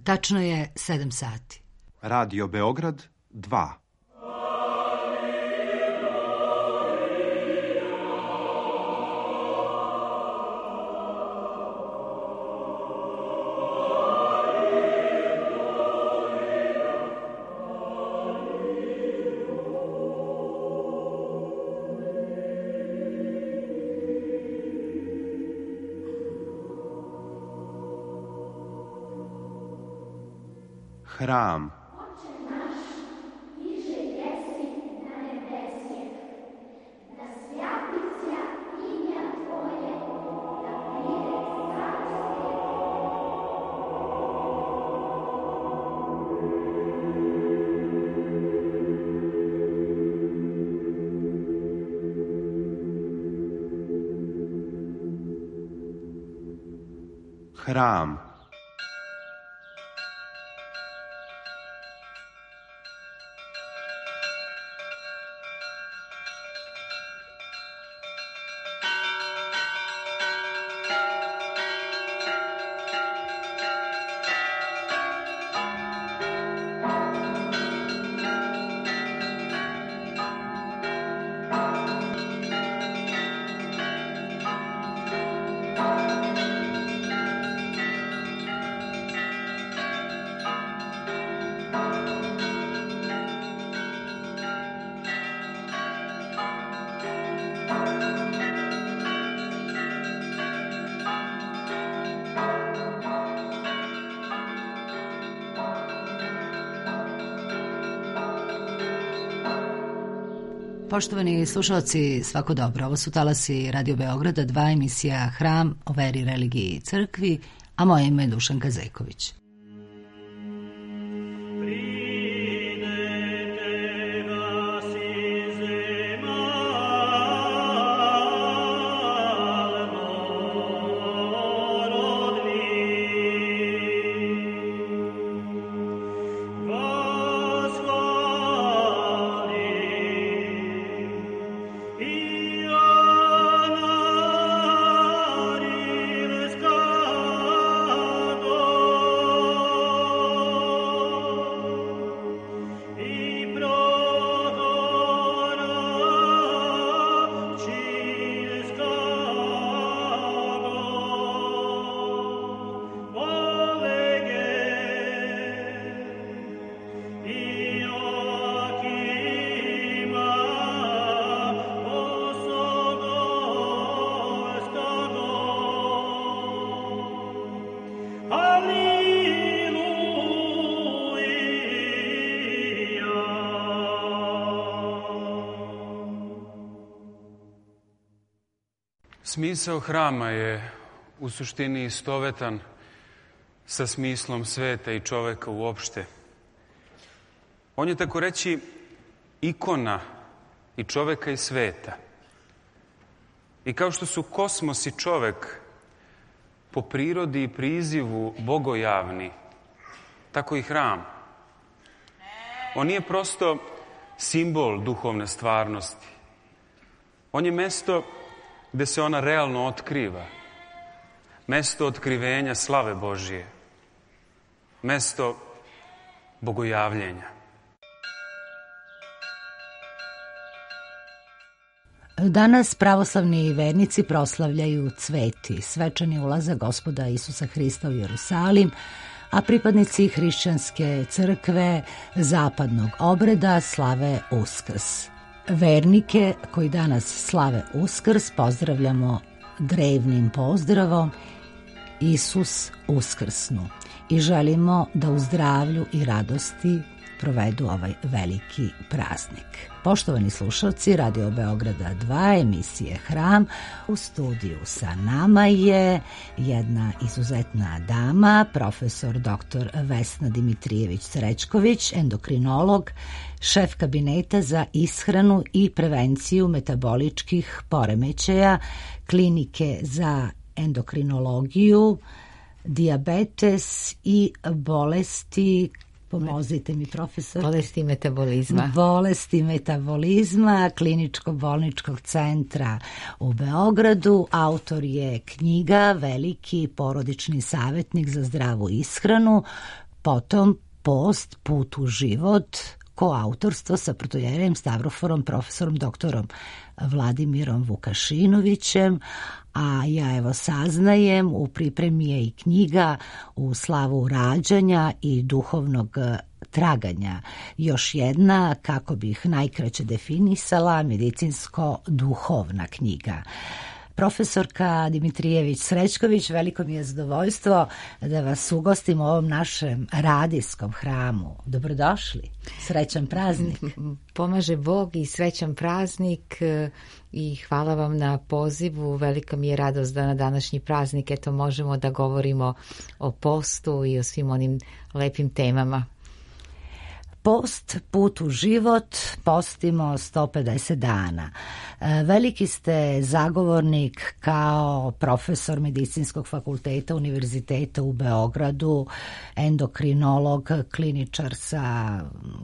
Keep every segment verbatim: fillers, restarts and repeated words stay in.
Tačno je sedam sati. Radio Beograd dva. Hram. Hram. Poštovani slušalci, svako dobro. Ovo su talasi Radio Beograda, dva, emisija Hram o veri, religiji i crkvi, a moje ime je Dušanka Zeković. Smisao hrama je u suštini istovetan sa smislom sveta i čoveka uopšte. On je, tako reći, ikona i čoveka i sveta. I kao što su kosmos i čovek po prirodi i prizivu bogojavni, tako i hram. On nije prosto simbol duhovne stvarnosti. On je mesto gde se ona realno otkriva. Mesto otkrivenja slave Božije. Mesto bogojavljenja. Danas pravoslavni vernici proslavljaju Sveti, svečani ulazak Gospoda Isusa Hrista u Jerusalim, a pripadnici hrišćanske crkve zapadnog obreda slave Uskrs. Vernike koji danas slave Uskrs pozdravljamo drevnim pozdravom Isus uskrsnu i želimo da u zdravlju i radosti provedu ovaj veliki praznik. Poštovani slušalci Radio Beograda dva, emisije Hram, u studiju sa nama je jedna izuzetna dama, profesor doktor Vesna Dimitrijević-Srećković, endokrinolog, šef kabineta za ishranu i prevenciju metaboličkih poremećaja, klinike za endokrinologiju, dijabetes i bolesti. Pomozite mi, profesor. Bolesti metabolizma. Bolesti metabolizma Kliničko-bolničkog centra u Beogradu. Autor je knjiga Veliki porodični savjetnik za zdravu ishranu, Potom post, put u život, koautorstvo sa protojerejem Stavroforom, profesorom doktorom Vladimirom Vukašinovićem, a ja evo saznajem, u pripremi je i knjiga U slavu rađanja i duhovnog traganja. Još jedna, kako bih najkraće definisala, medicinsko-duhovna knjiga. Profesorka Dimitrijević-Srećković, veliko mi je zadovoljstvo da vas ugostim u ovom našem radijskom hramu. Dobrodošli, srećan praznik. Pomaže Bog i srećan praznik i hvala vam na pozivu. Velika mi je radost da na današnji praznik eto možemo da govorimo o postu i o svim onim lepim temama. Post, put u život, postimo sto pedeset dana. Veliki ste zagovornik kao profesor Medicinskog fakulteta Univerziteta u Beogradu, endokrinolog, kliničar sa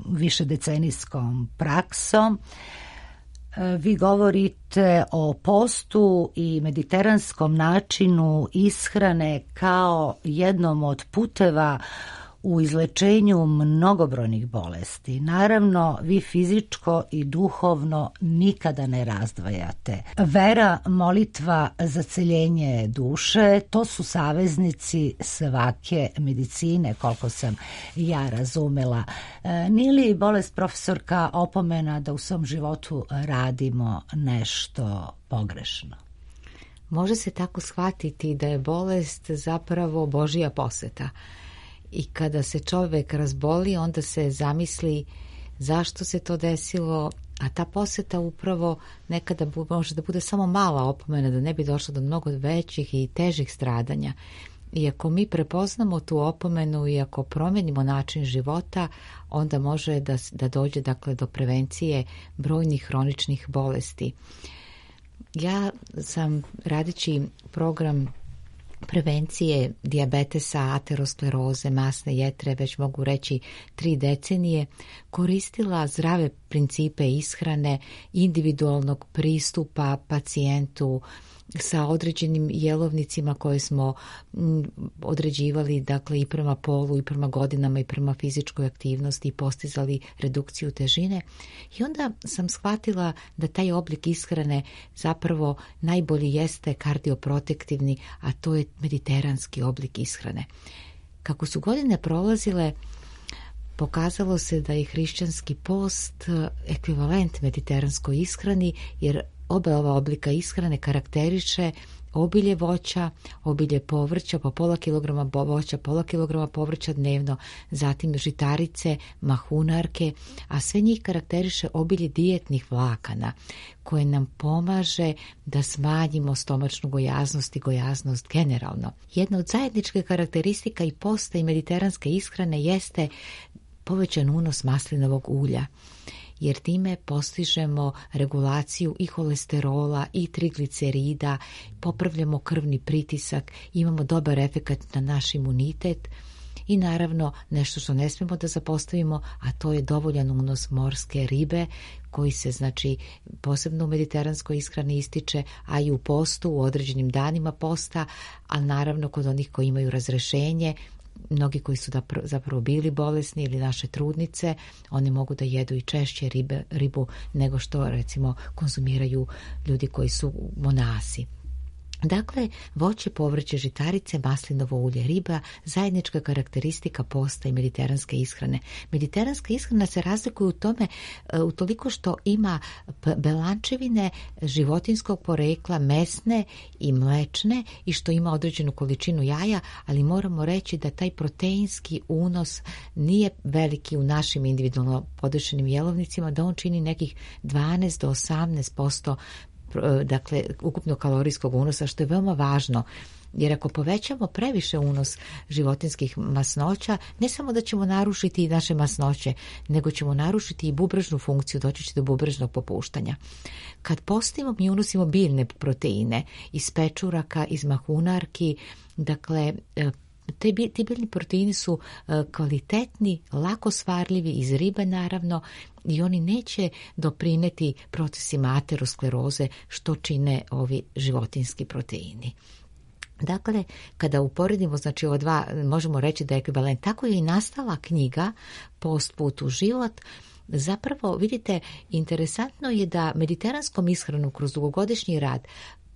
višedecenijskom praksom. Vi govorite o postu i mediteranskom načinu ishrane kao jednom od puteva u izlečenju mnogobrojnih bolesti. Naravno, vi fizičko i duhovno nikada ne razdvajate. Vera, molitva za celjenje duše, to su saveznici svake medicine, koliko sam ja razumela. Nije li bolest, profesorka, opomena da u svom životu radimo nešto pogrešno? Može se tako shvatiti da je bolest zapravo Božja poseta. I kada se čovjek razboli, onda se zamisli zašto se to desilo, a ta poseta upravo nekada može da bude samo mala opomena, da ne bi došlo do mnogo većih i težih stradanja. I ako mi prepoznamo tu opomenu i ako promenimo način života, onda može da, da dođe dakle, do prevencije brojnih hroničnih bolesti. Ja sam radeći program prevencije dijabetesa, ateroskleroze, masne jetre, već mogu reći tri decenije, koristila zdrave principe ishrane, individualnog pristupa pacijentu sa određenim jelovnicima koje smo određivali, dakle i prema polu i prema godinama i prema fizičkoj aktivnosti i postizali redukciju težine. I onda sam shvatila da taj oblik ishrane zapravo najbolji jeste kardioprotektivni, a to je mediteranski oblik ishrane. Kako su godine prolazile, pokazalo se da je hrišćanski post ekvivalent mediteranskoj ishrani, jer oba ova oblika ishrane karakteriše obilje voća, obilje povrća, po pola kilograma voća, pola kilograma povrća dnevno, zatim žitarice, mahunarke, a sve njih karakteriše obilje dijetnih vlakana koje nam pomaže da smanjimo stomačnu gojaznost i gojaznost generalno. Jedna od zajedničkih karakteristika i posta i mediteranske ishrane jeste povećan unos maslinovog ulja, jer time postižemo regulaciju i holesterola i triglicerida, popravljamo krvni pritisak, imamo dobar efekat na naš imunitet i naravno nešto što ne smijemo da zapostavimo, a to je dovoljan unos morske ribe koji se znači posebno u mediteranskoj ishrani ističe, a i u postu, u određenim danima posta, a naravno kod onih koji imaju razrešenje, mnogi koji su zapravo bili bolesni ili naše trudnice, oni mogu da jedu i češće ribe, ribu nego što recimo konzumiraju ljudi koji su monasi. Dakle, voće, povrće, žitarice, maslinovo ulje, riba, zajednička karakteristika posta i mediteranske ishrane. Mediteranska ishrana se razlikuje u tome u toliko što ima belančevine životinskog porekla, mesne i mlečne i što ima određenu količinu jaja, ali moramo reći da taj proteinski unos nije veliki u našim individualno podešenim jelovnicima, da on čini nekih dvanaest do osamnaest posto dakle ukupno kalorijskog unosa, što je veoma važno, jer ako povećamo previše unos životinskih masnoća, ne samo da ćemo narušiti i naše masnoće, nego ćemo narušiti i bubrežnu funkciju, doći će do bubrežnog popuštanja. Kad postimo, mi unosimo biljne proteine iz pečuraka, iz mahunarki, dakle Te, ti biljni proteini su kvalitetni, lako svarljivi iz ribe naravno i oni neće doprineti procesima ateroskleroze što čine ovi životinski proteini. Dakle, kada uporedimo, znači ova dva, možemo reći da je ekvivalent. Tako je i nastala knjiga Post put u život. Zapravo, vidite, interesantno je da mediteranskom ishranom kroz dugogodišnji rad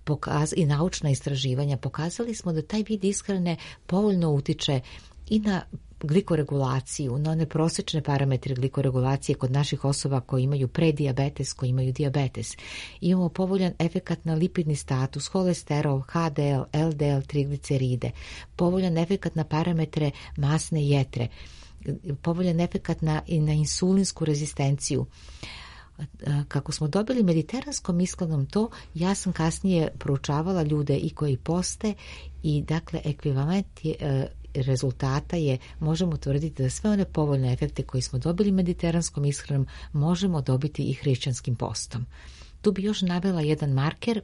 pokaz, i naučna istraživanja pokazali smo da taj vid ishrane povoljno utiče i na glikoregulaciju, na one prosječne parametre glikoregulacije kod naših osoba koji imaju predijabetes, koji imaju dijabetes. Imamo povoljan efekat na lipidni status, holesterol, ha de el, el de el, trigliceride, povoljan efekat na parametre masne jetre, povoljan efekat na, na insulinsku rezistenciju. Kako smo dobili mediteranskom ishranom to, ja sam kasnije proučavala ljude i koji poste i dakle ekvivalent je, rezultata je, možemo tvrditi da sve one povoljne efekte koji smo dobili mediteranskom ishranom možemo dobiti i hrišćanskim postom. Tu bi još navela jedan marker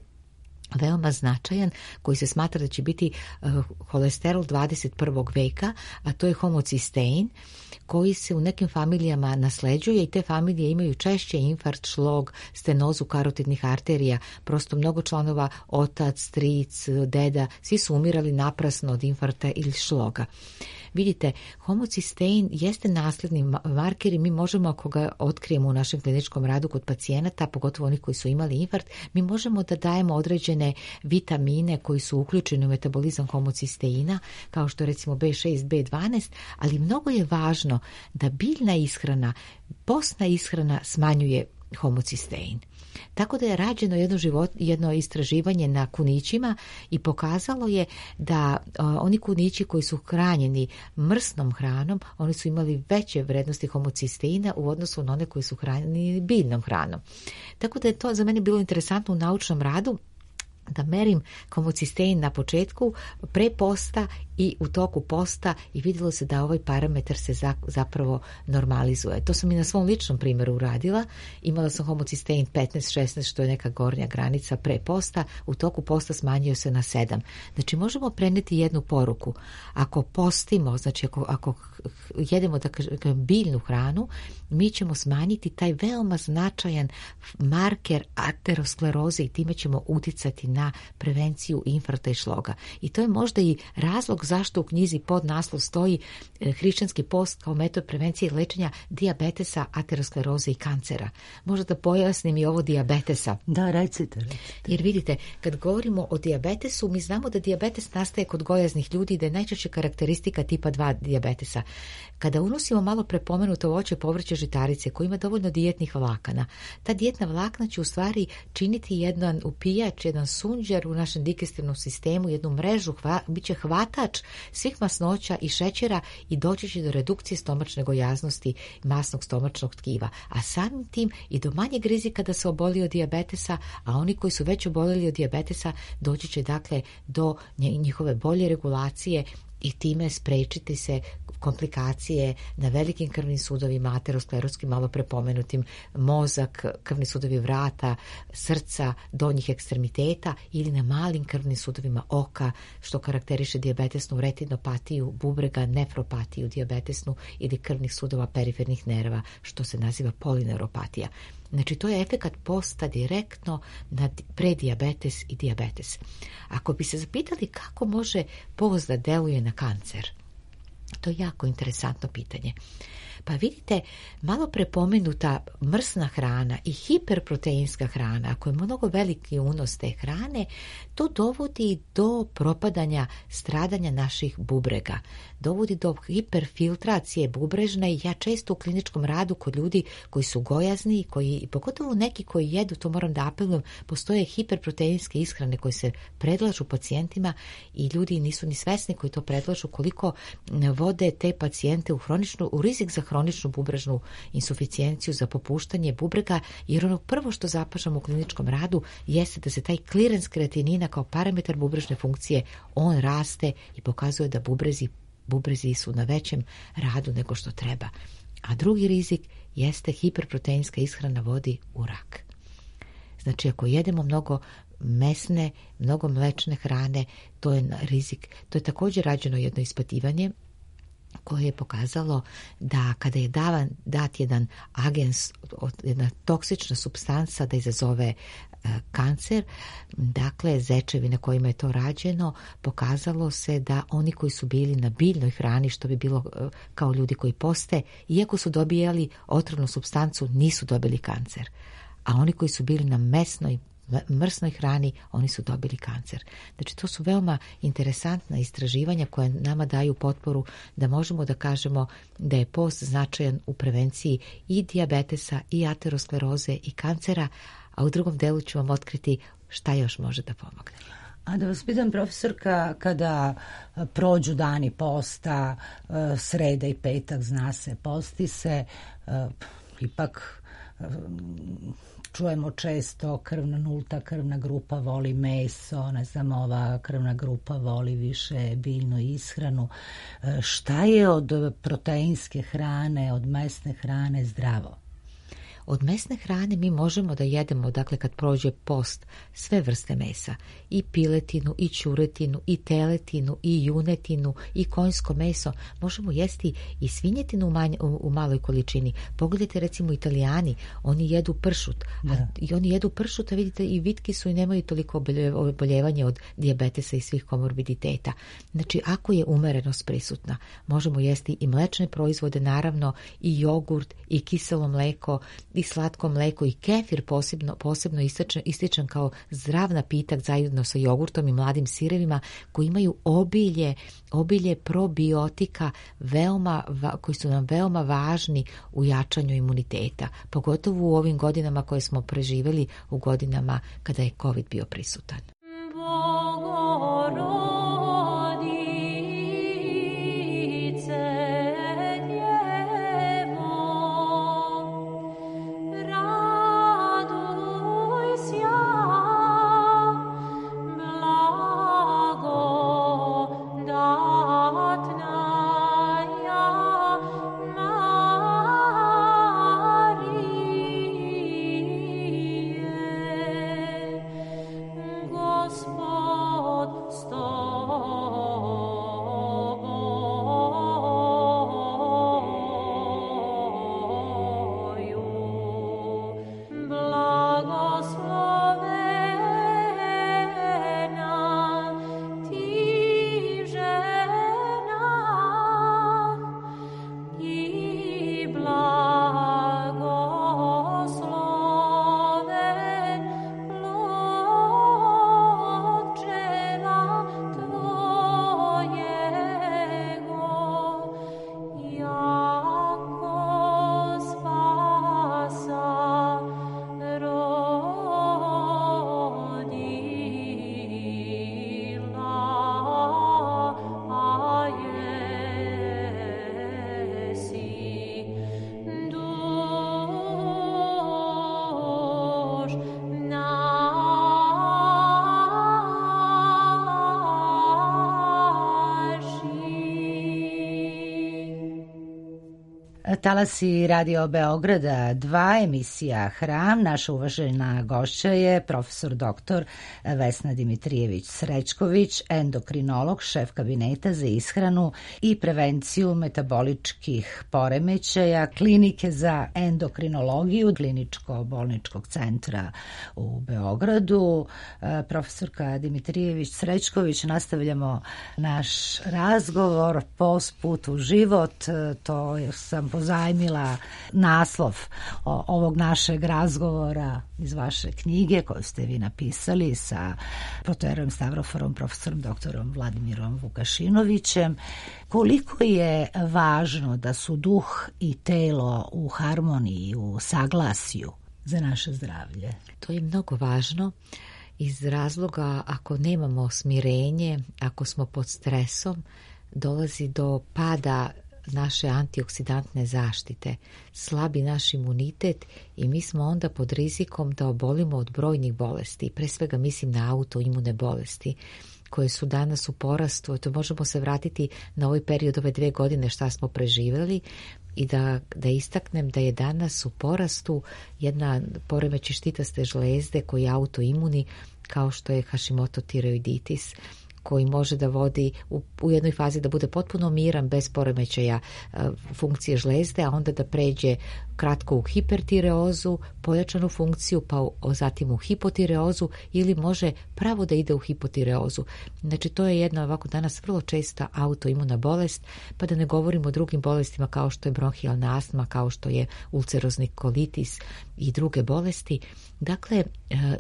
veoma značajan koji se smatra da će biti uh, holesterol dvadeset prvog veka, a to je homocistein koji se u nekim familijama nasleđuje i te familije imaju češće infarkt, šlog, stenozu karotidnih arterija. Prosto mnogo članova, otac, stric, deda, svi su umirali naprasno od infarkta ili šloga. Vidite, homocistein jeste nasledni marker i mi možemo, ako ga otkrijemo u našem kliničkom radu kod pacijenata, pogotovo onih koji su imali infarkt, mi možemo da dajemo određene vitamine koji su uključeni u metabolizam homocisteina, kao što recimo be šest, be dvanaest, ali mnogo je važno da biljna ishrana, postna ishrana smanjuje homocistein. Tako da je rađeno jedno, život, jedno istraživanje na kunićima i pokazalo je da o, oni kunići koji su hranjeni mrsnom hranom, oni su imali veće vrednosti homocisteina u odnosu na one koji su hranjeni biljnom hranom. Tako da je to za mene bilo interesantno u naučnom radu, da merim homocistein na početku, pre posta i u toku posta i vidjelo se da ovaj parametar se zapravo normalizuje. To sam i na svom ličnom primjeru uradila. Imala sam homocistein petnaest šesnaest, što je neka gornja granica pre posta. U toku posta smanjio se na sedam. Znači možemo preneti jednu poruku. Ako postimo, znači ako, ako jedemo da kažem biljnu hranu, mi ćemo smanjiti taj veoma značajan marker ateroskleroze i time ćemo uticati na prevenciju infarkta i šloga. I to je možda i razlog zašto u knjizi pod naslov stoji hrišćanski post kao metod prevencije i lečenja dijabetesa, ateroskleroze i kancera. Možda da pojasnim i ovo dijabetesa. Da, recite, recite. Jer vidite, kad govorimo o dijabetesu, mi znamo da dijabetes nastaje kod gojaznih ljudi i da je najčešće karakteristika tipa dva dijabetesa. Kada unosimo malo prepomenuto voće, povrće, žitarice koji ima dovoljno dijetnih vlakana, ta dijetna vlakna će u stvari činiti jedan upijač, jedan sunđer u našem digestivnom sistemu, jednu mrežu, hva, bit će hvatač svih masnoća i šećera i doći će do redukcije stomačne gojaznosti masnog stomačnog tkiva. A samim tim i do manjeg rizika da se oboli od dijabetesa, a oni koji su već obolili od dijabetesa doći će dakle do njihove bolje regulacije i time sprečiti se komplikacije na velikim krvnim sudovima, aterosklerotskim, malo prepomenutim, mozak, krvni sudovi vrata, srca, donjih ekstremiteta ili na malim krvnim sudovima oka, što karakteriše dijabetesnu retinopatiju, bubrega, nefropatiju dijabetesnu ili krvnih sudova perifernih nerva, što se naziva polineuropatija. Znači, to je efekat posta direktno na predijabetes i dijabetes. Ako bi se zapitali kako može post da deluje na kancer, to je jako interesantno pitanje. Pa vidite, malo prepomenuta mrsna hrana i hiperproteinska hrana, ako je mnogo veliki unos te hrane, to dovodi do propadanja, stradanja naših bubrega. Dovodi do hiperfiltracije bubrežne i ja često u kliničkom radu kod ljudi koji su gojazni, koji, pogotovo neki koji jedu, to moram da apelujem, postoje hiperproteinske ishrane koje se predlažu pacijentima i ljudi nisu ni svesni koji to predlažu koliko vode te pacijente u, hroničnu, u rizik za hroničnu bubrežnu insuficijenciju, za popuštanje bubrega, jer ono prvo što zapažamo u kliničkom radu jeste da se taj klirens kreatinina kao parametar bubrežne funkcije, on raste i pokazuje da bubrezi, bubrezi su na većem radu nego što treba. A drugi rizik jeste hiperproteinska ishrana vodi u rak. Znači, ako jedemo mnogo mesne, mnogo mlečne hrane, to je rizik. To je također rađeno jedno ispitivanje koje je pokazalo da kada je davan, dat jedan agens, jedna toksična supstanca da izazove kancer, dakle zečevi na kojima je to rađeno, pokazalo se da oni koji su bili na biljnoj hrani, što bi bilo kao ljudi koji poste, iako su dobijali otrovnu supstancu, nisu dobili kancer. A oni koji su bili na mesnoj, mrsnoj hrani, oni su dobili kancer. Znači, to su veoma interesantna istraživanja koje nama daju potporu da možemo da kažemo da je post značajan u prevenciji i dijabetesa, i ateroskleroze, i kancera, a u drugom delu ću vam otkriti šta još može da pomogne. A da vas pitam, profesorka, kada prođu dani posta, sreda i petak, zna se, posti se, ipak čujemo često krvna nulta krvna grupa voli meso, ne znam, ova krvna grupa voli više biljnu ishranu. Šta je od proteinske hrane, od mesne hrane zdravo? Od mesne hrane mi možemo da jedemo, dakle kad prođe post, sve vrste mesa, i piletinu, i ćuretinu, i teletinu, i junetinu, i konjsko meso. Možemo jesti i svinjetinu u, manj, u, u maloj količini. Pogledajte recimo Italijani, oni jedu pršut, a, i oni jedu pršut, a vidite i vitki su i nemaju toliko oboljevanje od dijabetesa i svih komorbiditeta. Znači, ako je umerenost prisutna, možemo jesti i mlečne proizvode, naravno, i jogurt, i kiselo mleko, i slatko mleko, i kefir posebno, posebno ističan, ističan kao zdrav napitak zajedno sa jogurtom i mladim sirevima, koji imaju obilje, obilje probiotika veoma, koji su nam veoma važni u jačanju imuniteta, pogotovo u ovim godinama koje smo preživjeli, u godinama kada je COVID bio prisutan. Talasi Radio Beograda dva, emisija Hram. Naša uvažena gošća je profesor doktor Vesna Dimitrijević-Srećković, endokrinolog, šef kabineta za ishranu i prevenciju metaboličkih poremećaja Klinike za endokrinologiju kliničko-bolničkog centra u Beogradu. Profesorka Dimitrijević-Srećković, nastavljamo naš razgovor Post put u život. To sam pozajmila naslov ovog našeg razgovora iz vaše knjige koju ste vi napisali sa protoierom Stavroforom, profesorom doktorom Vladimirom Vukašinovićem. Koliko je važno da su duh i telo u harmoniji, u saglasju za naše zdravlje? To je mnogo važno iz razloga ako nemamo smirenje, ako smo pod stresom, dolazi do pada naše antioksidantne zaštite, slabi naš imunitet i mi smo onda pod rizikom da obolimo od brojnih bolesti. Pre svega mislim na autoimune bolesti koje su danas u porastu. To možemo se vratiti na ovaj period ove dve godine šta smo preživjeli i da, da istaknem da je danas u porastu jedna poremećaj štitaste žlezde koji je autoimuni, kao što je Hashimoto tiroiditis, koji može da vodi u, u jednoj fazi da bude potpuno miran bez poremećaja e, funkcije žlezde, a onda da pređe kratko u hipertireozu, pojačanu funkciju, pa u, zatim u hipotireozu, ili može pravo da ide u hipotireozu. Znači to je jedna ovako danas vrlo česta autoimuna bolest, pa da ne govorimo o drugim bolestima kao što je bronhijalna astma, kao što je ulcerozni kolitis i druge bolesti. Dakle,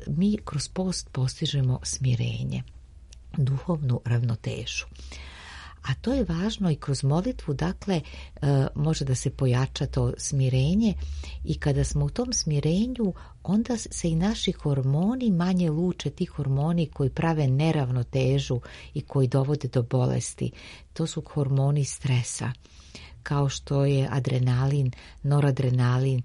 mi kroz post postižemo smirenje, duhovnu ravnotežu. A to je važno i kroz molitvu, dakle, može da se pojača to smirenje i kada smo u tom smirenju, onda se i naši hormoni manje luče, ti hormoni koji prave neravnotežu i koji dovode do bolesti. To su hormoni stresa, kao što je adrenalin, noradrenalin,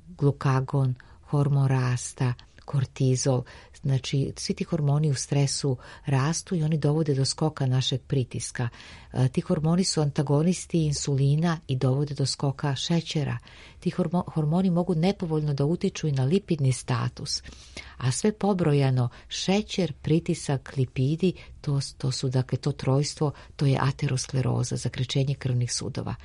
glukagon, hormon rasta, kortizol. Znači, svi ti hormoni u stresu rastu i oni dovode do skoka našeg pritiska. E, ti hormoni su antagonisti insulina i dovode do skoka šećera. Ti hormoni mogu nepovoljno da utiču i na lipidni status. A sve pobrojano, šećer, pritisak, lipidi, to, to su, dakle, to trojstvo, to je ateroskleroza, zakrčenje krvnih sudova.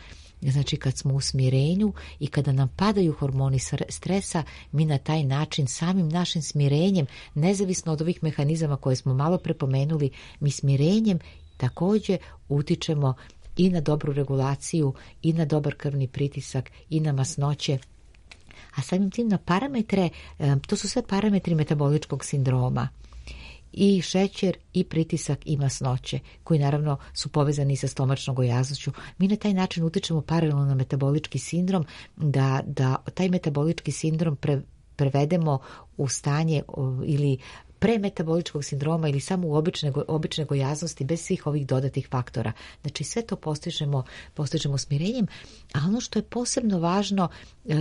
Znači, kad smo u smirenju i kada nam padaju hormoni stresa, mi na taj način samim našim smirenjem, nezavisno od ovih mehanizama koje smo malo prepomenuli, mi smirenjem također utičemo i na dobru regulaciju, i na dobar krvni pritisak, i na masnoće. A samim tim na parametre, to su sve parametri metaboličkog sindroma. I šećer, i pritisak, i masnoće, koji naravno su povezani sa stomačnom gojaznošću. Mi na taj način utičemo paralelno na metabolički sindrom, da, da taj metabolički sindrom pre, prevedemo u stanje ili premetaboličkog sindroma ili samo u obične, obične gojaznosti bez svih ovih dodatnih faktora. Znači sve to postižemo, postižemo smirenjem, a ono što je posebno važno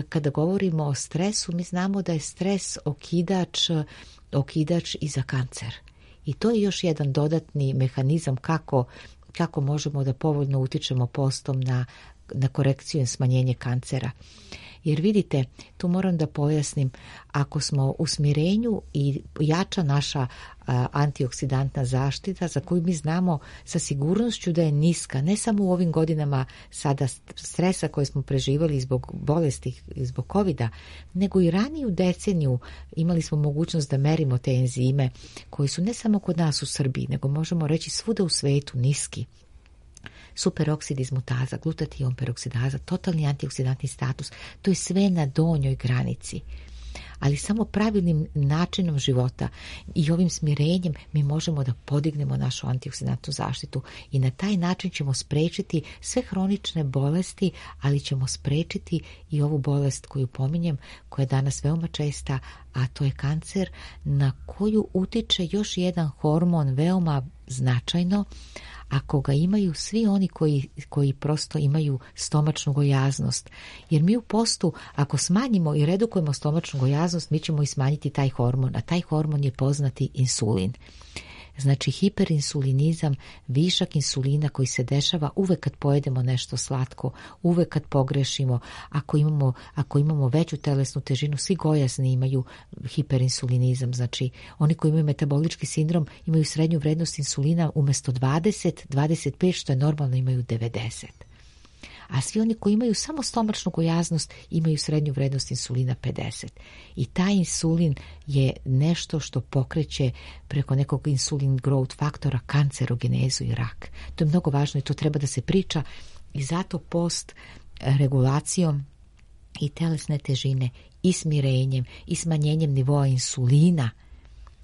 kada govorimo o stresu, mi znamo da je stres okidač okidač i za kancer. I to je još jedan dodatni mehanizam kako, kako možemo da povoljno utičemo postom na, na korekciju i smanjenje kancera. Jer vidite, tu moram da pojasnim, ako smo u smirenju i jača naša a, antioksidantna zaštita, za koju mi znamo sa sigurnošću da je niska, ne samo u ovim godinama sada stresa koje smo preživali zbog bolesti, zbog covida, nego i raniju deceniju imali smo mogućnost da merimo te enzime koji su ne samo kod nas u Srbiji, nego možemo reći svuda u svetu niski. Superoksid izmutaza, glutatijon peroksidaza, totalni antioksidantni status, to je sve na donjoj granici. Ali samo pravilnim načinom života i ovim smirenjem mi možemo da podignemo našu antioksidantnu zaštitu i na taj način ćemo sprečiti sve hronične bolesti, ali ćemo sprečiti i ovu bolest koju pominjem, koja je danas veoma česta, a to je kancer, na koju utiče još jedan hormon veoma značajno, ako ga imaju svi oni koji, koji prosto imaju stomačnu gojaznost. Jer mi u postu, ako smanjimo i redukujemo stomačnu gojaznost, mi ćemo i smanjiti taj hormon, a taj hormon je poznati insulin. Znači hiperinsulinizam, višak insulina koji se dešava uvek kad pojedemo nešto slatko, uvek kad pogrešimo, ako imamo, ako imamo veću telesnu težinu, svi gojazni imaju hiperinsulinizam. Znači oni koji imaju metabolički sindrom imaju srednju vrednost insulina umjesto dvadeset, dvadeset pet, što je normalno, imaju devedeset. A svi oni koji imaju samo stomačnu gojaznost imaju srednju vrednost insulina pedeset. I taj insulin je nešto što pokreće preko nekog insulin growth faktora kancerogenezu i rak. To je mnogo važno i to treba da se priča i zato post regulacijom i telesne težine i smirenjem i smanjenjem nivoa insulina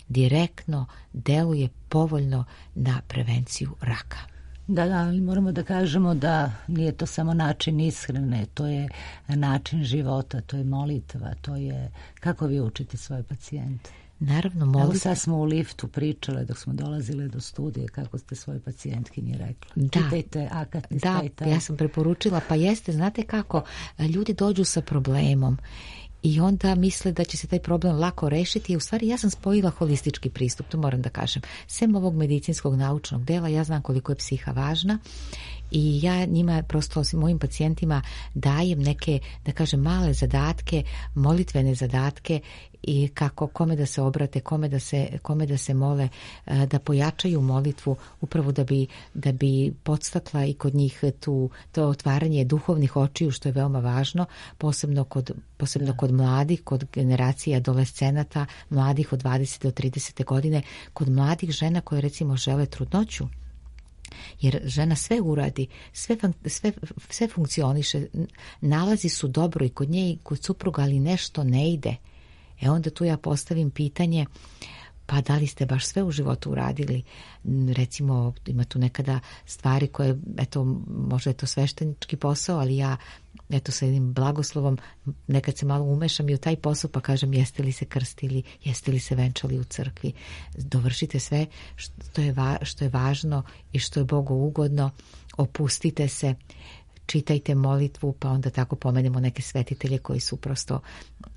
direktno deluje povoljno na prevenciju raka. Da, da, ali moramo da kažemo da nije to samo način ishrane, to je način života, to je molitva, to je kako vi učite svoje pacijente. Naravno, molitva. Evo sad smo u liftu pričale dok smo dolazile do studije kako ste svoje pacijentkinji rekli. Da. Čitajte akatist. Da, taj, taj. Ja sam preporučila, pa jeste, znate kako, ljudi dođu sa problemom i onda misle da će se taj problem lako rešiti. I u stvari ja sam spojila holistički pristup, to moram da kažem. Sem ovog medicinskog naučnog dela, ja znam koliko je psiha važna I ja njima, prosto mojim pacijentima dajem neke, da kažem, male zadatke, molitvene zadatke i kako, kome da se obrate, kome da se, kome da se mole, da pojačaju molitvu upravo da bi, da bi podstakla i kod njih tu, to otvaranje duhovnih očiju, što je veoma važno, posebno kod, posebno kod mladih, kod generacije adolescenata, mladih od dvadeset do trideset godine, kod mladih žena koje recimo žele trudnoću. Jer žena sve uradi, sve, sve, sve funkcioniše, nalazi su dobro i kod nje i kod supruga, ali nešto ne ide. E onda tu ja postavim pitanje, pa da li ste baš sve u životu uradili? Recimo, ima tu nekada stvari koje, eto, možda je to sveštenički posao, ali ja, eto, sa jednim blagoslovom nekad se malo umešam i u taj posao pa kažem, jeste li se krstili, jeste li se venčali u crkvi. Dovršite sve što je, va, što je važno i što je Bogu ugodno, opustite se, čitajte molitvu, pa onda tako pomenemo neke svetitelje koji su prosto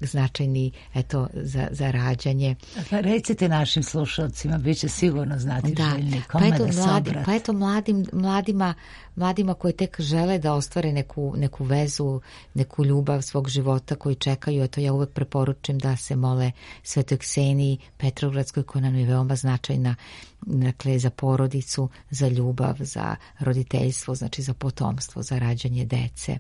značajni, eto, za, za rađanje. Pa recite našim slušalcima, bit će sigurno znati da, željni kome pa eto, da se mladi, obrate. Pa eto mladim, mladima, mladima koji tek žele da ostvare neku, neku vezu, neku ljubav svog života, koji čekaju, eto ja uvek preporučim da se mole Svetoj Kseniji Petrogradskoj, koja nam je veoma značajna, dakle, za porodicu, za ljubav, za roditeljstvo, znači za potomstvo, za rađanje dece.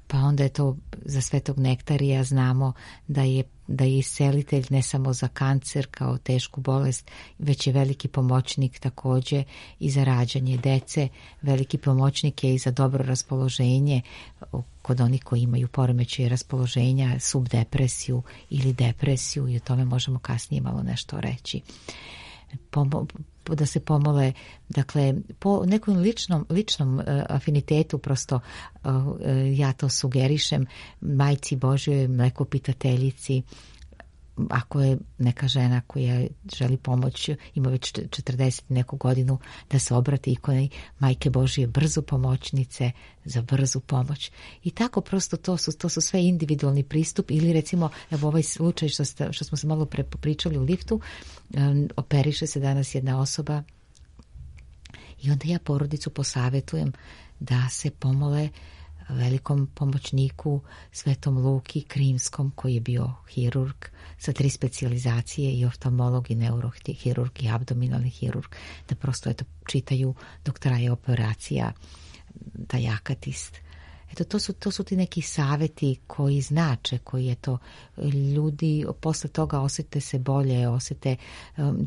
Pa onda je to za Svetog Nektarija, znamo da je, da je iscelitelj ne samo za kancer kao tešku bolest, već je veliki pomoćnik također i za rađanje dece, veliki pomoćnik je i za dobro raspoloženje kod onih koji imaju poremećaje raspoloženja, subdepresiju ili depresiju, i o tome možemo kasnije malo nešto reći. Pomo- da se pomole, dakle, po nekom ličnom, ličnom uh, afinitetu, prosto uh, uh, ja to sugerišem Majci Božjoj, mlekopitateljici, ako je neka žena koja želi pomoć, ima već četrdeset neku godinu, da se obrati ikoni Majke Božje, brzo pomoćnice za brzu pomoć. I tako prosto to su, to su sve individualni pristup. Ili recimo, evo ovaj slučaj što, sta, što smo se malo pre pričali u liftu, um, operiše se danas jedna osoba i onda ja porodicu posavjetujem da se pomole velikom pomoćniku Svetom Luki Krimskom, koji je bio hirurg sa tri specijalizacije, i oftalmolog i neurohirurg i abdominalni hirurg, da prosto eto čitaju dok traje operacija, da jakatist. Eto, to su, to su ti neki savjeti koji znače, koji je to, ljudi posle toga osjete se bolje, osjete.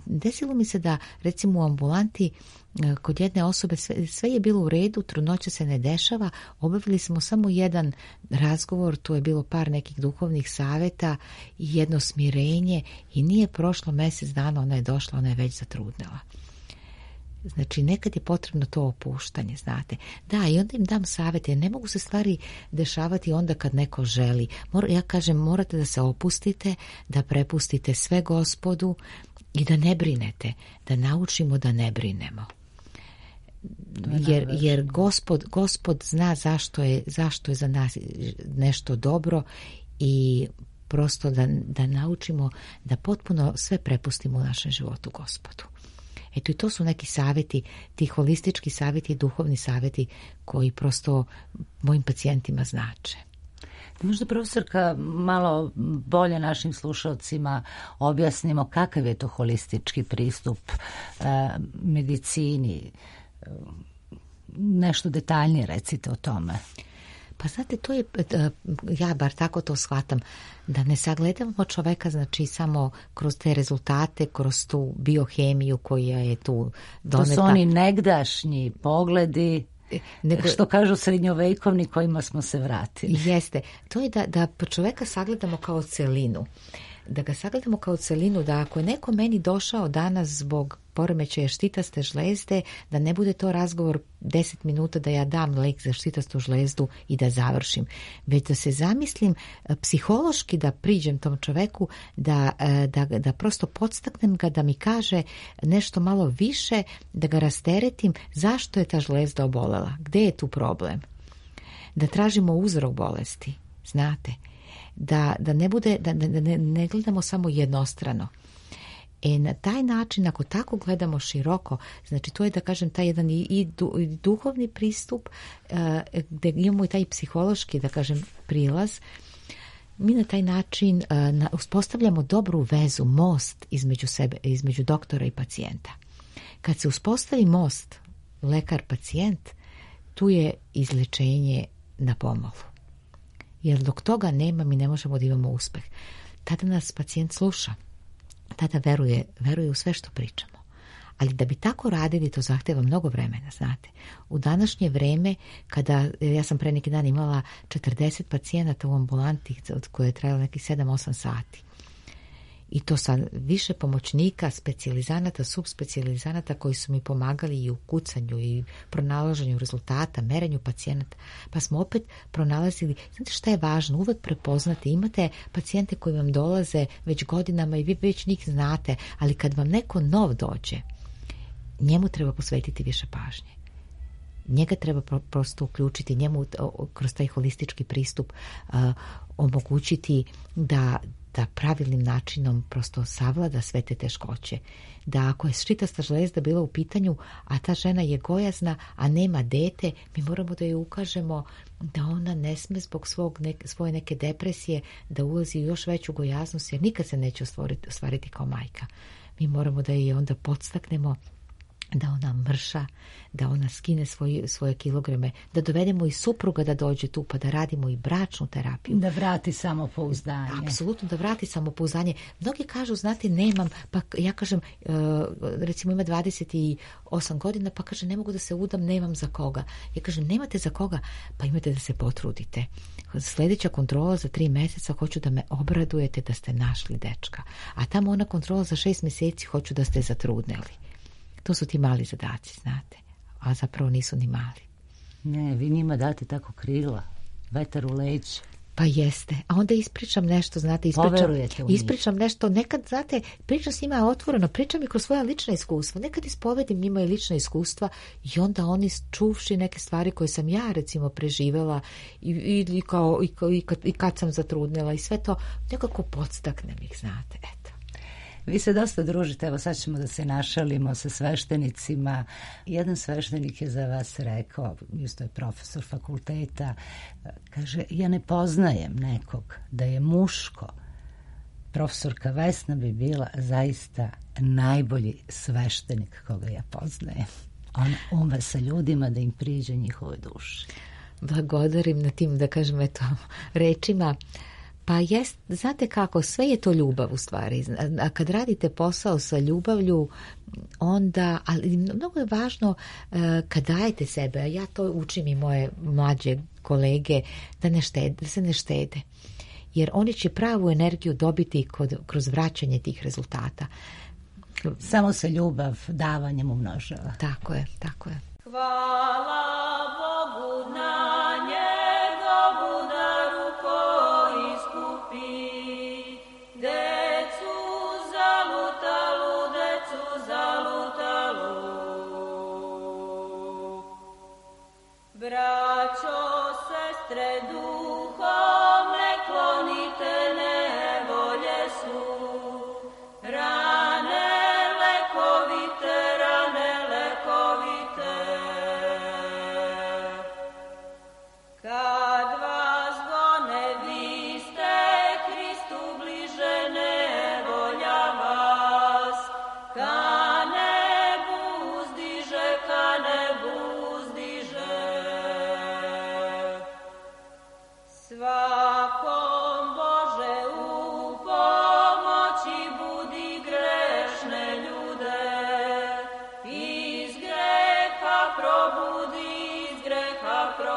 Desilo mi se da recimo u ambulanti kod jedne osobe sve, sve je bilo u redu, trudnoća se ne dešava, obavili smo samo jedan razgovor, tu je bilo par nekih duhovnih savjeta i jedno smirenje, i nije prošlo mjesec dana, ona je došla, ona je već zatrudnela. Znači, nekad je potrebno to opuštanje, znate. Da, i onda im dam savjet, jer ne mogu se stvari dešavati onda kad neko želi. Mor, ja kažem, morate da se opustite, da prepustite sve Gospodu i da ne brinete, da naučimo da ne brinemo. Jer, jer gospod, gospod zna zašto je, zašto je za nas nešto dobro, i prosto da, da naučimo da potpuno sve prepustimo u našem životu Gospodu. Eto, i to su neki savjeti, ti holistički savjeti i duhovni savjeti koji prosto mojim pacijentima znače. Možda, profesorka, malo bolje našim slušalcima objasnimo kakav je to holistički pristup e, medicini. E, nešto detaljnije recite o tome. Pa znate, to je, ja bar tako to shvatam, da ne sagledamo čoveka, znači samo kroz te rezultate, kroz tu biohemiju koja je tu doneta. To su oni negdašnji pogledi, nego, što kažu srednjovekovni, kojima smo se vratili. Jeste, to je da, da čoveka sagledamo kao celinu. Da ga sagledamo kao celinu, da ako je neko meni došao danas zbog poremećaja štitaste žlezde, da ne bude to razgovor deset minuta da ja dam lek za štitastu žlezdu i da završim, već da se zamislim psihološki, da priđem tom čoveku, da, da, da prosto podstaknem ga da mi kaže nešto malo više, da ga rasteretim zašto je ta žlezda obolela, gde je tu problem, da tražimo uzrok bolesti, znate, da, da ne bude, da, da ne, ne gledamo samo jednostrano. E, na taj način, ako tako gledamo široko, znači to je, da kažem, taj jedan i, i, du, i duhovni pristup, uh, gde imamo i taj psihološki, da kažem, prilaz. Mi na taj način uh, na, uspostavljamo dobru vezu, most između sebe, između doktora i pacijenta. Kad se uspostavi most lekar-pacijent, tu je izlečenje na pomolu. Jer dok toga nema, mi ne možemo da imamo uspeh. Tada nas pacijent sluša. Tada veruje, veruje u sve što pričamo. Ali da bi tako radili, to zahteva mnogo vremena, znate. U današnje vreme, kada, ja sam pre neki dan imala četrdeset pacijenata u ambulanti, od koje je trajalo nekih sedam osam sati. I to sa više pomoćnika, specijalizanata, subspecijalizanata koji su mi pomagali i u kucanju i pronalaženju rezultata, merenju pacijenata. Pa smo opet pronalazili, znate šta je važno, uvek prepoznati. Imate pacijente koji vam dolaze već godinama i vi već njih znate, ali kad vam neko nov dođe, njemu treba posvetiti više pažnje. Njega treba prosto uključiti, njemu kroz taj holistički pristup uh, omogućiti da da pravilnim načinom prosto savlada sve te teškoće. Da ako je ščitasta žlezda bila u pitanju, a ta žena je gojazna, a nema dete, mi moramo da joj ukažemo da ona ne sme zbog svog nek, svoje neke depresije da ulazi u još veću gojaznost, jer nikad se neće ostvariti, ostvariti kao majka. Mi moramo da je onda podstaknemo da ona mrša, da ona skine svoj, svoje kilograme, da dovedemo i supruga da dođe tu, pa da radimo i bračnu terapiju. Da vrati samopouzdanje. Apsolutno, da vrati samopouzdanje. Mnogi kažu, znate, nemam, pa ja kažem, recimo ima dvadeset osam godina, pa kaže, ne mogu da se udam, nemam za koga. Ja kažem, nemate za koga, pa imate da se potrudite. Sljedeća kontrola za tri mjeseca, hoću da me obradujete da ste našli dečka. A tamo ona kontrola za šest mjeseci, hoću da ste zatrudneli. To su ti mali zadaci, znate, a zapravo nisu ni mali. Ne, vi njima date tako krila, vetar u leđ. Pa jeste, a onda ispričam nešto, znate, ispričam, ispričam nešto, nekad, znate, pričam s njima otvoreno, pričam i kroz svoja lična iskustva, nekad ispovedim njima i lična iskustva i onda oni čuvši neke stvari koje sam ja, recimo, preživela i, i, i, kao, i, kao, i, kad, i kad sam zatrudnila i sve to, nekako podstaknem ih, znate, eto. Vi se dosta družite, evo sad ćemo da se našalimo sa sveštenicima. Jedan sveštenik je za vas rekao, isto je profesor fakulteta, kaže, ja ne poznajem nekog da je muško. Profesorka Vesna bi bila zaista najbolji sveštenik koga ja poznajem. On ume sa ljudima da im priđe njihovoj duši. Blagodarim na tim, da kažem, eto, rečima. Pa jest, znate kako, sve je to ljubav u stvari. A kad radite posao sa ljubavlju, onda, ali mnogo je važno uh, kad dajete sebe, a ja to učim i moje mlađe kolege, da, ne štede, da se ne štede. Jer oni će pravu energiju dobiti kod, kroz vraćanje tih rezultata. Samo se ljubav davanjem umnožava. Tako je, tako je. Hvala Bogu na njegovu daru koji iskupi decu zalutalu, decu zalutalu. Braćo, sestre, duhom ne klonite, nevolje su rane lekovite, rane lekovite. Kad vas gone, vi ste Hristu bliže, nevolja vas ka nebu uzdiže, ka nebu uzdiže. Svakom Bože u pomoći budi grešne ljude, iz greha probudi, iz greha probudi.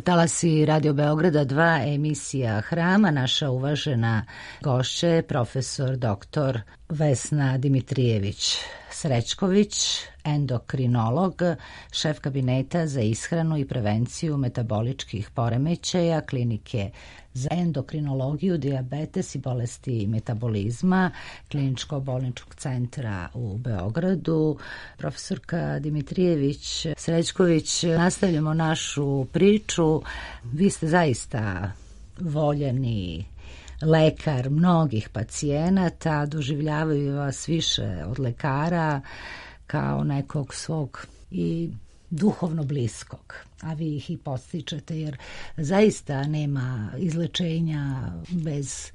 Talasi Radio Beograda dva, emisija Hrama, naša uvažena gošća, profesor doktor Vesna Dimitrijević Srećković, endokrinolog, šef kabineta za ishranu i prevenciju metaboličkih poremećaja klinike za endokrinologiju, dijabetes i bolesti metabolizma kliničko-bolničkog centra u Beogradu. Profesorka Dimitrijević Srećković, nastavljamo našu priču. Vi ste zaista voljeni lekar mnogih pacijenata, doživljavaju vas više od lekara kao nekog svog i duhovno bliskog, a vi ih i podstičete, jer zaista nema izlečenja bez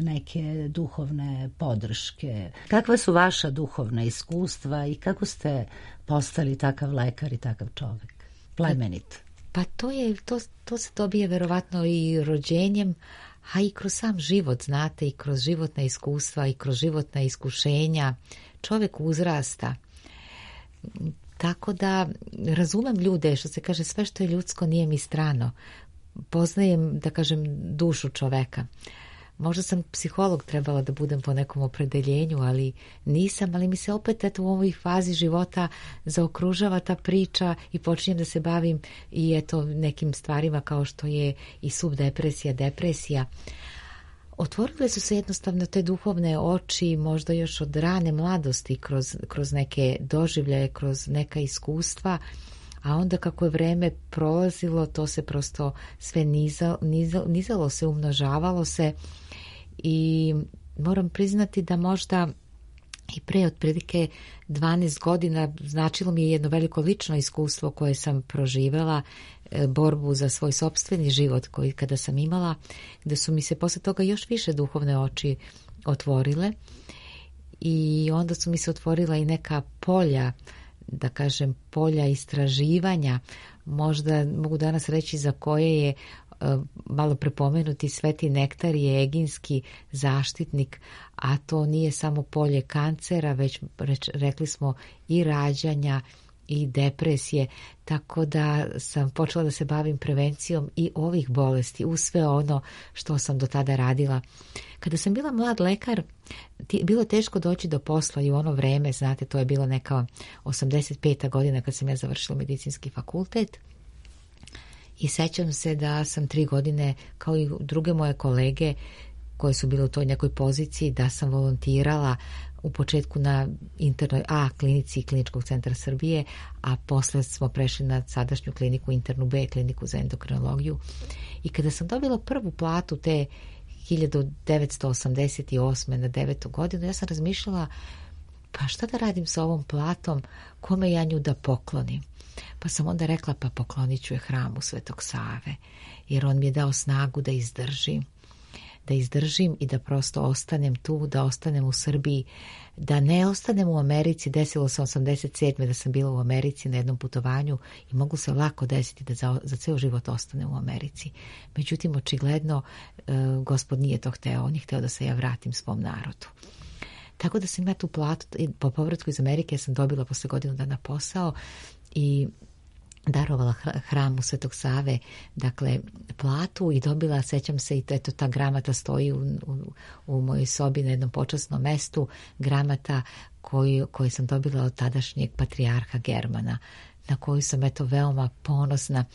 neke duhovne podrške. Kakva su vaša duhovna iskustva i kako ste postali takav lekar i takav čovjek? Plemenit. Pa to je, to, to se dobije verovatno i rođenjem, a i kroz sam život, znate, i kroz životna iskustva i kroz životna iskušenja. Čovjek uzrasta. Tako da razumem ljude, što se kaže, sve što je ljudsko nije mi strano. Poznajem, da kažem, dušu čoveka. Možda sam psiholog trebala da budem po nekom opredeljenju, ali nisam, ali mi se opet eto, u ovoj fazi života zaokružava ta priča i počinjem da se bavim i eto nekim stvarima kao što je i subdepresija, depresija. Otvorile su se jednostavno te duhovne oči, možda još od rane mladosti, kroz, kroz neke doživljaje, kroz neka iskustva, a onda kako je vreme prolazilo, to se prosto sve nizalo, nizalo, nizalo se, umnožavalo se i moram priznati da možda i pre otprilike dvanaest godina značilo mi je jedno veliko lično iskustvo koje sam proživela, borbu za svoj sopstveni život koji kada sam imala, gde su mi se posle toga još više duhovne oči otvorile i onda su mi se otvorila i neka polja, da kažem, polja istraživanja, možda mogu danas reći za koje je malo prepomenuti Sveti Nektar je eginski zaštitnik, a to nije samo polje kancera, već reč, rekli smo i rađanja i depresije, tako da sam počela da se bavim prevencijom i ovih bolesti uz sve ono što sam do tada radila. Kada sam bila mlad lekar, bilo teško doći do posla i u ono vreme, znate, to je bilo neka osamdeset peta godina kad sam ja završila medicinski fakultet. I sećam se da sam tri godine, kao i druge moje kolege koje su bile u toj nekoj poziciji, da sam volontirala u početku na internoj A klinici Kliničkog centra Srbije, a posle smo prešli na sadašnju kliniku, internu B kliniku za endokrinologiju. I kada sam dobila prvu platu te hiljadu devetsto osamdeset osme na devetu godinu, ja sam razmišljala, pa šta da radim sa ovom platom, kome ja nju da poklonim? Pa sam onda rekla, pa poklonit ću je hramu Svetog Save, jer on mi je dao snagu da izdržim, da izdržim i da prosto ostanem tu, da ostanem u Srbiji, da ne ostanem u Americi. Desilo se osamdeset sedme da sam bila u Americi na jednom putovanju i mogu se lako desiti da za, za ceo život ostanem u Americi. Međutim, očigledno, e, Gospod nije to hteo, on je hteo da se ja vratim svom narodu. Tako da sam ja tu platu, po povratku iz Amerike sam dobila posle godinu dana posao i darovala hramu Svetog Save, dakle, platu i dobila, sećam se, i eto ta gramata stoji u, u, u mojoj sobi na jednom počasnom mestu, gramata koju, koju sam dobila od tadašnjeg patrijarha Germana, na koju sam eto veoma ponosna.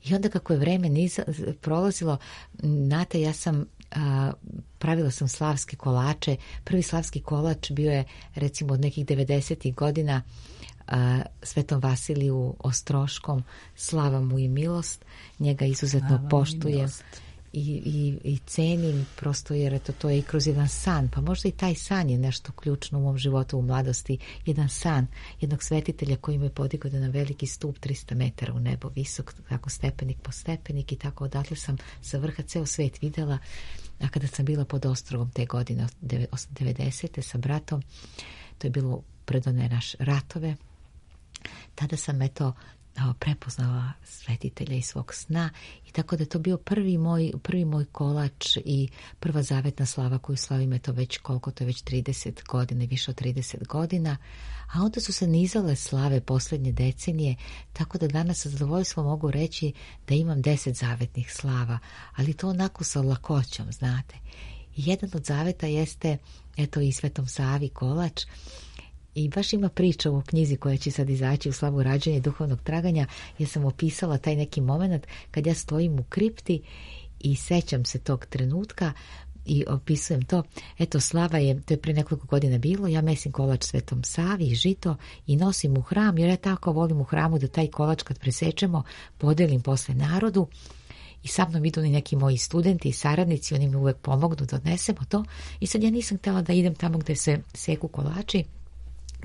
I onda kako je vreme niza, prolazilo, znate, ja sam a, pravila sam slavske kolače. Prvi slavski kolač bio je recimo od nekih devedesetih godina a, Svetom Vasiliju Ostroškom, slava mu i milost, njega izuzetno slava poštujem i, i, i cenim, prosto jer eto, to je i kroz jedan san, pa možda i taj san je nešto ključno u mom životu u mladosti, jedan san jednog svetitelja koji me podigao na veliki stup trista metara u nebo visok, tako stepenik po stepenik i tako odatle sam sa vrha ceo svet videla. A kada sam bila pod Ostrovom te godine devedesete sa bratom, to je bilo pred one naš ratove, tada sam eto prepoznala svetitelja iz svog sna i tako da je to bio prvi moj, prvi moj kolač i prva zavetna slava koju slavim eto već koliko, to je već trideset godina, više od trideset godina, a onda su se nizale slave posljednje decenije, tako da danas sa zadovoljstvom mogu reći da imam deset zavetnih slava, ali to onako sa lakoćom, znate. I jedan od zaveta jeste eto i Svetom Savi kolač. I baš ima priča u knjizi koja će sad izaći u slavu rađanja i duhovnog traganja. Ja sam opisala taj neki moment kad ja stojim u kripti i sećam se tog trenutka i opisujem to. Eto, slava je, to je pre nekoliko godina bilo, ja mesim kolač Svetom Savi i žito i nosim u hram, jer ja tako volim u hramu da taj kolač kad presečemo podelim posle narodu. i sa mnom idu i neki moji studenti i saradnici, oni mi uvek pomognu da odnesemo to. I sad ja nisam htjela da idem tamo gde se seku kolači.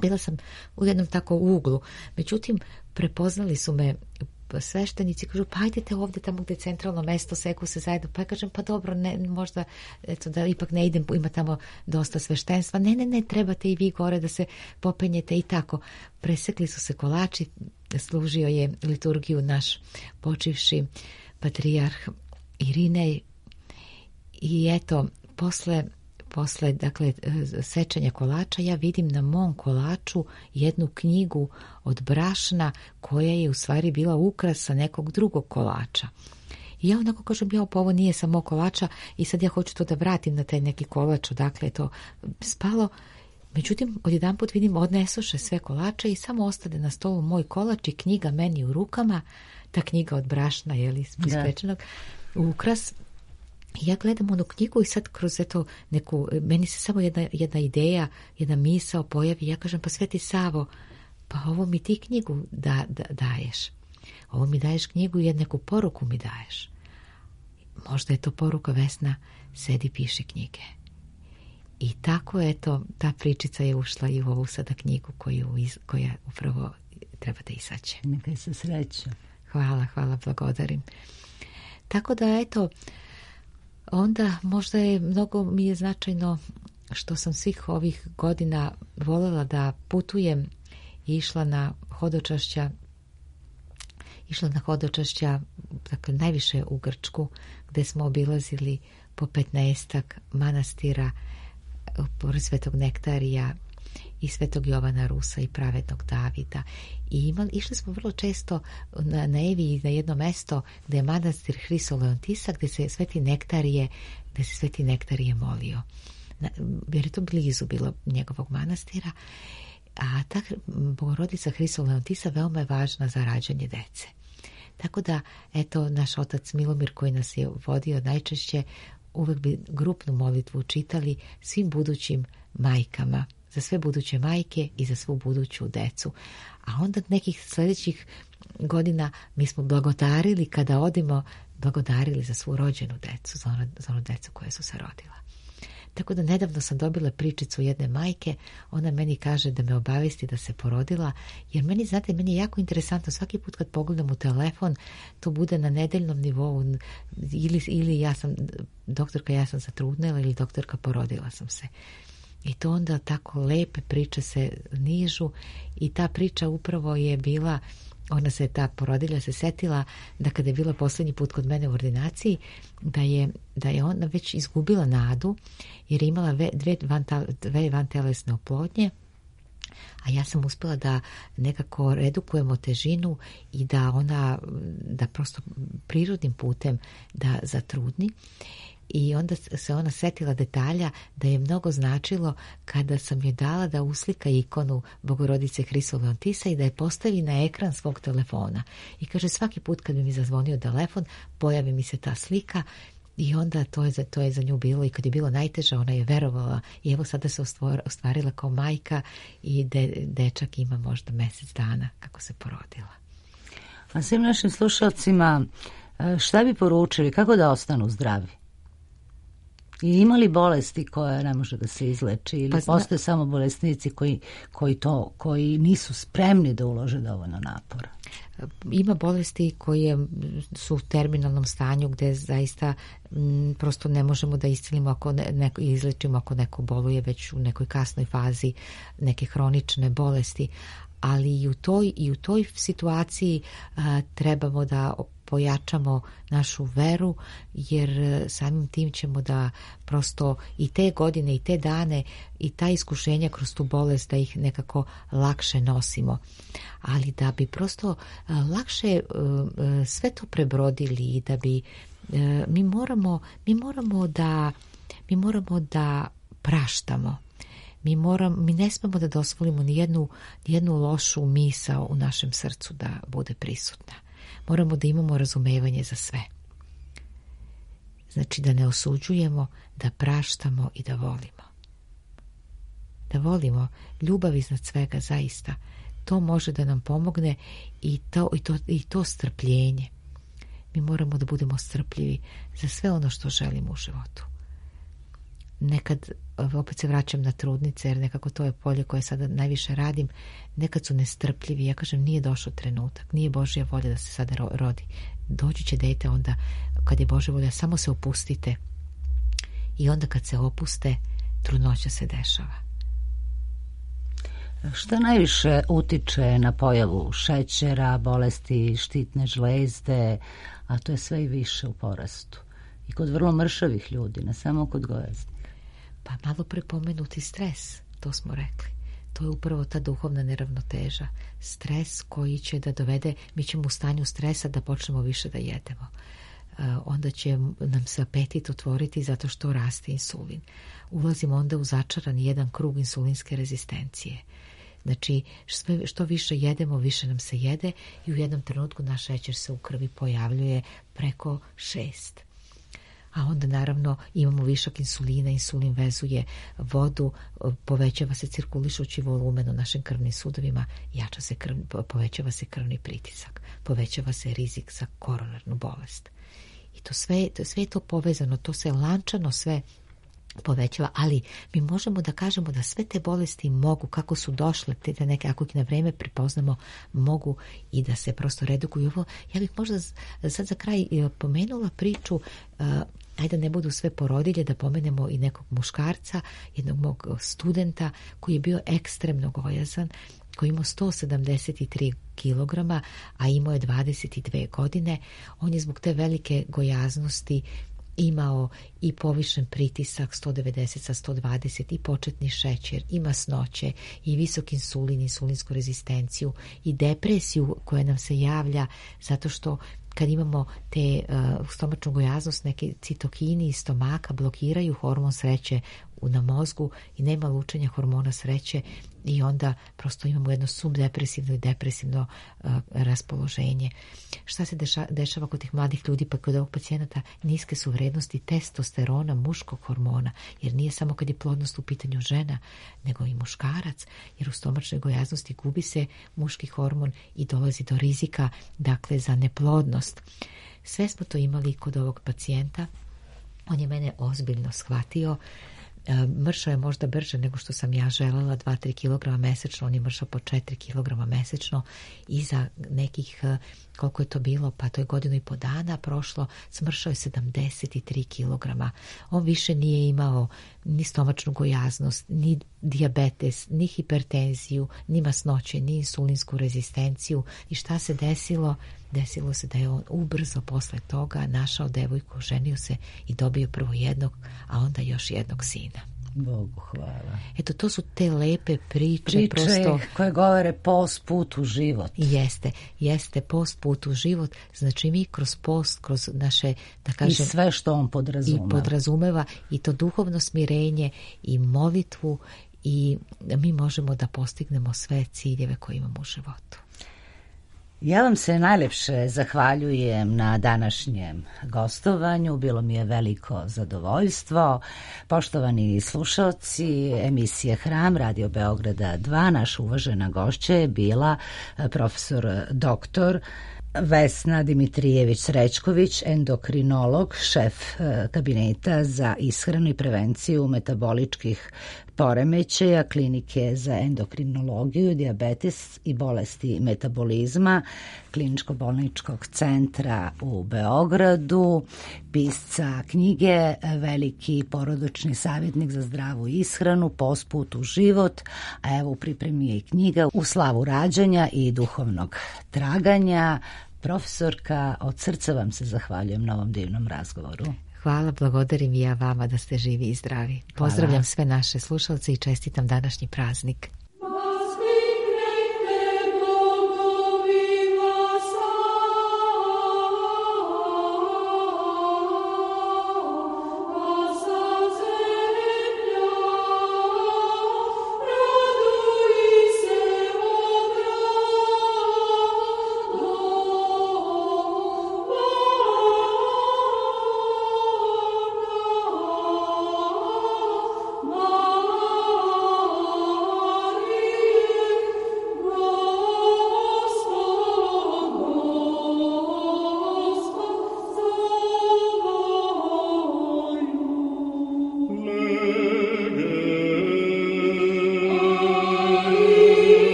Bila sam u jednom tako uglu. Međutim, prepoznali su me sveštenici, kažu, pa ajdete ovdje tamo gdje je centralno mesto, seku se zajedno. Pa ja kažem, pa dobro, ne, možda eto, da ipak ne idem, ima tamo dosta sveštenstva. Ne, ne, ne, trebate i vi gore da se popenjete i tako. Presekli su se kolači, služio je liturgiju naš počivši patrijarh Irinej i eto, posle Posle, dakle, sečenja kolača, ja vidim na mom kolaču jednu knjigu od brašna koja je u stvari bila ukrasa nekog drugog kolača. I ja onako kažem, ja, pa ovo nije samo kolača i sad ja hoću to da vratim na taj neki kolač, odakle je to spalo. Međutim, odjedanput vidim, odnesoše sve kolače i samo ostade na stolu moj kolač i knjiga meni u rukama, ta knjiga od brašna, je li, ispečenog, ukras. Ja gledam onu knjigu i sad kroz eto neku, meni se samo jedna, jedna ideja, jedna misao pojavi, ja kažem, pa Sveti Savo, pa ovo mi ti knjigu da, da, daješ. Ovo mi daješ knjigu i neku poruku mi daješ. Možda je to poruka, Vesna, sedi, piši knjige. I tako, eto, ta pričica je ušla i u ovu sada knjigu koju, koja upravo treba da izađe. Nekaj se sreća. Hvala, hvala, blagodarim. Tako da, eto, onda možda je mnogo mi je značajno što sam svih ovih godina voljela da putujem i išla na hodočašća, išla na hodočašća, dakle najviše u Grčku, gde smo obilazili po petnaestak manastira, pored Svetog Nektarija i Svetog Jovana Rusa i Pravednog Davida. I imali, išli smo vrlo često na, na Eviji na jedno mesto gde je manastir Hrisoleontisa, gde se Sveti Nektarije, gde se Sveti Nektarije molio. Na, jer je to blizu bilo njegovog manastira. A ta Bogorodica Hrisoleontisa veoma je važna za rađanje dece. Tako da, eto, naš otac Milomir koji nas je vodio najčešće, uvek bi grupnu molitvu čitali svim budućim majkama, za sve buduće majke i za svu buduću decu. A onda nekih sljedećih godina mi smo blagodarili, kada odimo, blagodarili za svu rođenu decu, za onu, za onu decu koja su se rodila. Tako da nedavno sam dobila pričicu jedne majke, ona meni kaže da me obavesti da se porodila, jer meni, znate, meni je jako interesantno, svaki put kad pogledam u telefon, to bude na nedeljnom nivou, ili, ili ja sam, doktorka, ja sam zatrudnela, ili doktorka, porodila sam se. I to onda tako lepe priče se nižu i ta priča upravo je bila, ona se, ta porodilja se setila da kada je bila posljednji put kod mene u ordinaciji, da je, da je ona već izgubila nadu jer je imala dve, dve vantelesne oplodnje, a ja sam uspjela da nekako redukujemo težinu i da ona, da prosto prirodnim putem da zatrudni. I onda se ona setila detalja da je mnogo značilo kada sam joj dala da uslika ikonu Bogorodice Hrisoleontisa i da je postavi na ekran svog telefona. I kaže, svaki put kad bi mi zazvonio telefon, pojavi mi se ta slika i onda to je za, to je za nju bilo. I kad je bilo najteže, ona je verovala i evo sada se ostvarila kao majka i de, dečak ima možda mjesec dana kako se porodila. A svim našim slušalcima, šta bi poručili, kako da ostanu zdravi? I ima li bolesti koje ne može da se izleči ili pa zna... postoje samo bolesnici koji, koji, to, koji nisu spremni da ulože dovoljno napora? Ima bolesti koje su u terminalnom stanju gde zaista m, prosto ne možemo da iscelimo ako ne, ne, izlečimo ako neko boluje već u nekoj kasnoj fazi neke hronične bolesti, ali i u toj, i u toj situaciji a, trebamo da pojačamo našu veru, jer samim tim ćemo da prosto i te godine i te dane i ta iskušenja kroz tu bolest da ih nekako lakše nosimo. Ali da bi prosto lakše sve to prebrodili i da bi mi moramo, mi moramo da mi moramo da praštamo. Mi, moram, mi ne smemo da dozvolimo ni jednu, ni jednu lošu misao u našem srcu da bude prisutna. Moramo da imamo razumevanje za sve. Znači da ne osuđujemo, da praštamo i da volimo. Da volimo, ljubav iznad svega zaista. To može da nam pomogne i to, i to, i to strpljenje. mi moramo da budemo strpljivi za sve ono što želimo u životu. Nekad, opet se vraćam na trudnice, jer nekako to je polje koje sada najviše radim, nekad su nestrpljivi. Ja kažem, nije došao trenutak, nije Božja volja da se sada rodi. Doći će dete onda kad je Božja volja, samo se opustite. I onda kad se opuste, trudnoća se dešava. Šta najviše utiče na pojavu šećera, bolesti štitne žlezde, a to je sve i više u porastu? I kod vrlo mršavih ljudi, ne samo kod gojaznih. Pa malo prepomenuti stres, to smo rekli. To je upravo ta duhovna neravnoteža. Stres koji će da dovede, mi ćemo u stanju stresa da počnemo više da jedemo. Onda će nam se apetit otvoriti zato što raste insulin. Ulazimo onda u začaran jedan krug insulinske rezistencije. Znači, što više jedemo, više nam se jede i u jednom trenutku naš šećer se u krvi pojavljuje preko šest. A onda naravno imamo višak insulina, insulin vezuje vodu, povećava se cirkulišući volumen u našim krvnim sudovima, jača se krv, povećava se krvni pritisak, povećava se rizik za koronarnu bolest. I to sve, to sve je to povezano, to se lančano sve povećava, ali mi možemo da kažemo da sve te bolesti mogu, kako su došle, te neke, ako ih na vreme prepoznamo, mogu i da se prosto redukuju. Ovo, ja bih možda sad za kraj pomenula priču, uh, ajde ne budu sve porodilje, da pomenemo i nekog muškarca, jednog mog studenta koji je bio ekstremno gojazan, koji imao sto sedamdeset tri kilograma, a imao je dvadeset dve godine. On je zbog te velike gojaznosti imao i povišen pritisak sto devedeset sa sto dvadeset i početni šećer i masnoće i visok insulin, insulinsku rezistenciju i depresiju koja nam se javlja zato što kad imamo te uh, stomačnu gojaznost, neke citokini iz stomaka blokiraju hormon sreće na mozgu i nema lučenja hormona sreće i onda prosto imamo jedno subdepresivno i depresivno uh, raspoloženje. Šta se deša, dešava kod tih mladih ljudi, pa kod ovog pacijenata niske su vrednosti testosterona, muškog hormona, jer nije samo kad je plodnost u pitanju žena, nego i muškarac, jer u stomačnoj gojaznosti gubi se muški hormon i dolazi do rizika, dakle, za neplodnost. Sve smo to imali kod ovog pacijenta. On je mene ozbiljno shvatio. Mršao je možda brže nego što sam ja želela, dva do tri kilograma mesečno, on je mršao po četiri kilograma mesečno i za nekih, koliko je to bilo, pa to je godinu i po dana prošlo, smršao je sedamdeset tri kilograma. On više nije imao ni stomačnu gojaznost, ni dijabetes, ni hipertenziju, ni masnoće, ni insulinsku rezistenciju. I šta se desilo? Desilo se da je on ubrzo posle toga našao devojku, ženio se i dobio prvo jednog, a onda još jednog sina. Bogu hvala. Eto, to su te lepe priče. Priče prosto, koje govore post put u život. Jeste, jeste post put u život. Znači mi kroz post, kroz naše, da kažem... I sve što on podrazumeva. I podrazumeva i to duhovno smirenje i molitvu i mi možemo da postignemo sve ciljeve koje imamo u životu. Ja vam se najlepše zahvaljujem na današnjem gostovanju. Bilo mi je veliko zadovoljstvo. Poštovani slušalci emisije Hram Radio Beograda dva, naša uvažena gošća je bila profesor doktor Vesna Dimitrijević-Srećković, endokrinolog, šef kabineta za ishranu i prevenciju metaboličkih poremećaja Klinike za endokrinologiju, dijabetes i bolesti metabolizma Kliničko-bolničkog centra u Beogradu, pisca knjige Veliki porodični savjetnik za zdravu ishranu, Post put u život, a evo u pripremi je i knjiga U slavu rađanja i duhovnog traganja. Profesorka, od srca vam se zahvaljujem na ovom divnom razgovoru. Hvala, blagodarim i ja vama da ste živi i zdravi. Pozdravljam Hvala. Sve naše slušalce i čestitam današnji praznik. Oh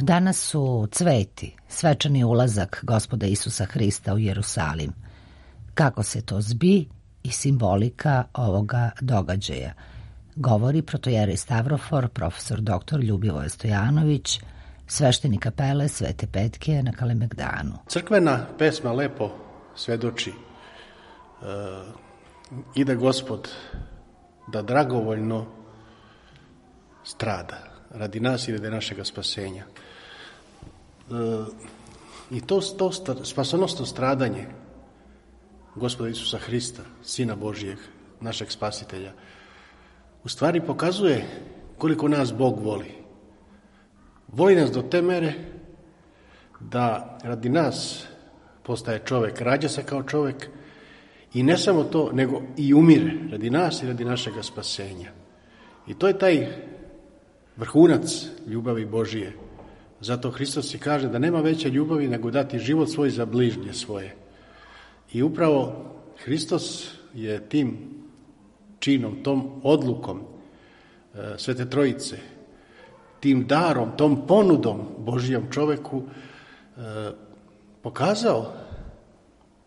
Danas su cveti, svečani ulazak Gospoda Isusa Hrista u Jerusalim. Kako se to zbi i simbolika ovoga događaja, govori protojerej Stavrofor, profesor doktor Ljubivoje Stojanović, sveštenik kapele Svete Petke na Kalemegdanu. Crkvena pesma lepo svedoči e, ide Gospod da dragovoljno strada radi nas i radi našega spasenja. E, I to, to spasonosno stradanje Gospoda Isusa Hrista, Sina Božijeg, našeg spasitelja, u stvari pokazuje koliko nas Bog voli. Voli nas do te mere da radi nas postaje čovjek, rađa se kao čovjek i ne samo to, nego i umire radi nas i radi našega spasenja. I to je taj vrhunac ljubavi Božije. Zato Hristos i kaže da nema veće ljubavi nego dati život svoj za bližnje svoje. I upravo Hristos je tim činom, tom odlukom e, Svete Trojice, tim darom, tom ponudom Božijom čoveku e, pokazao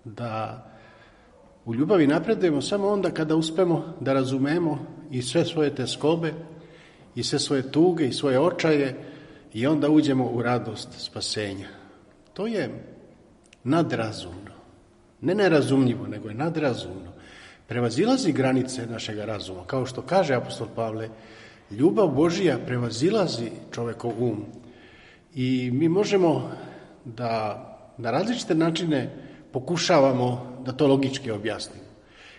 da u ljubavi napredujemo samo onda kada uspemo da razumemo i sve svoje teskobe i sve svoje tuge i svoje očaje i onda uđemo u radost spasenja. To je nadrazumno. Ne nerazumljivo, nego je nadrazumno. Prevazilazi granice našega razuma. Kao što kaže apostol Pavle, ljubav Božija prevazilazi čovekov um. I mi možemo da na različite načine pokušavamo da to logički objasnimo.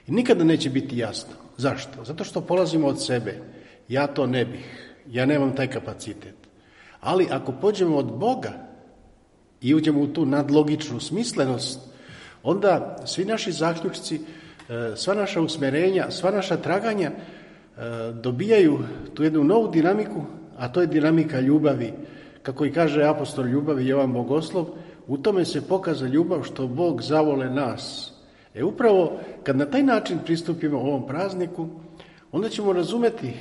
I nikada neće biti jasno. Zašto? Zato što polazimo od sebe. Ja to ne bih. Ja nemam taj kapacitet. Ali ako pođemo od Boga i uđemo u tu nadlogičnu smislenost, onda svi naši zaključci, sva naša usmerenja, sva naša traganja dobijaju tu jednu novu dinamiku, a to je dinamika ljubavi. Kako i kaže apostol ljubavi Jovan Bogoslov, u tome se pokaza ljubav što Bog zavole nas. E upravo kad na taj način pristupimo ovom prazniku, onda ćemo razumeti